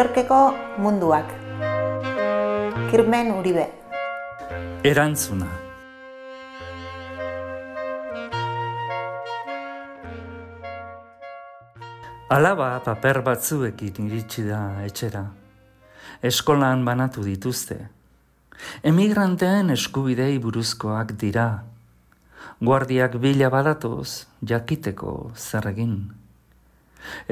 Yorkeko munduak. Kirmen Uribe. Erantzuna. Alaba paper batzuekin iritsi da etxera. Eskolan banatu dituzte. Emigranteen eskubidei buruzkoak dira. Guardiak bila badatoz, jakiteko zer egin.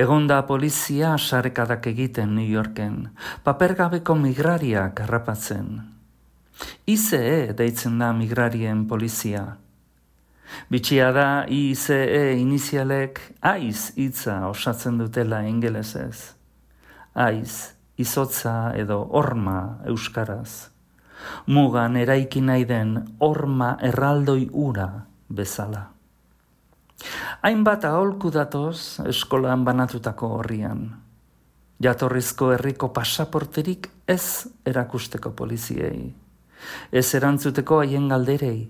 Egonda polizia sarekadak egiten New Yorken, papergabeko migrariak harrapatzen. ICE deitzen da migrarien polizia. Bitxia da ICE inizialek aiz hitza osatzen dutela ingelesez. Aiz, izotza edo horma euskaraz. Mugan eraiki nahi den horma erraldoi ura bezala. Hainbat aholku datoz eskolan banatutako horrian. Jatorrizko herriko pasaporterik ez erakusteko poliziei. Ez erantzuteko haien galderei,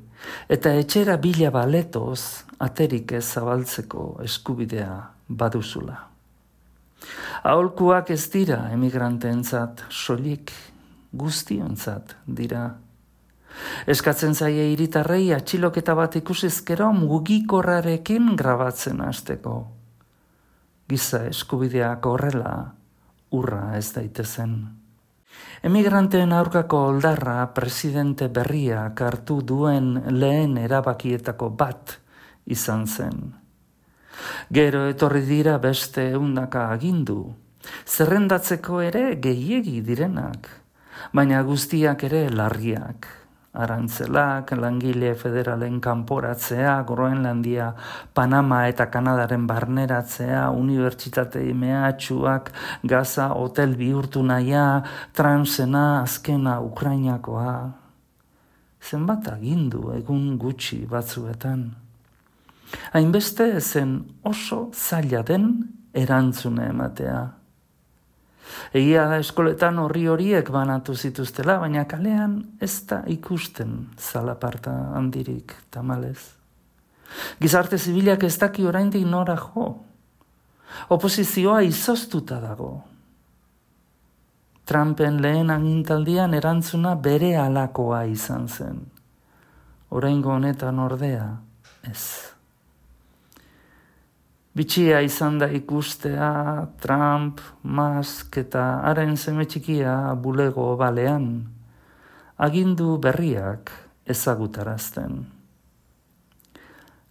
eta etxera bila baletoz aterik ez zabaltzeko eskubidea baduzula. Aholkuak ez dira emigranteentzat soilik guztiontzat dira. Eskatzen zaie hiritarrei atxiloketa bat ikusizkero mugikorrarekin grabatzen hasteko. Giza eskubideak horrela urra ez daitezen. Emigranteen aurkako oldarra presidente berriak hartu duen lehen erabakietako bat izan zen. Gero etorri dira beste 100 agindu, zerrendatzeko ere gehiegi direnak, baina guztiak ere larriak. Arantzelak, langile federalen kanporatzea, Groenlandia, Panama eta Kanadaren barneratzea, unibertsitate mehatxuak, Gaza hotel bihurtu nahia, Transena, azkena Ukrainakoa. Zenbat agindu egun gutxi batzuetan. Hainbeste zen oso zaila den erantzune ematea. Egia da eskoletan horiek banatu zituztela, baina kalean ez da ikusten zalaparta handirik tamalez. Gizarte zibilak ez daki oraindik nora jo. Oposizioa izoztuta dago. Trumpen lehen agintaldian erantzuna bere halakoa izan zen. Oraingo honetan ordea, ez. Bitxia izan da ikustea Trump, Musk eta haren seme txikia bulego balean, agindu berriak ezagutarazten.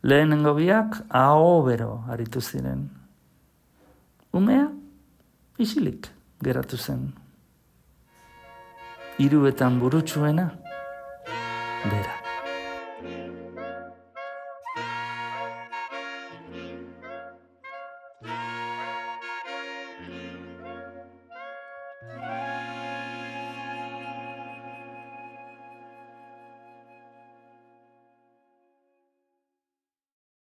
Lehenengo biak aho bero aritu ziren. Umea isilik geratu zen. Hiruetan burutsuena, bera.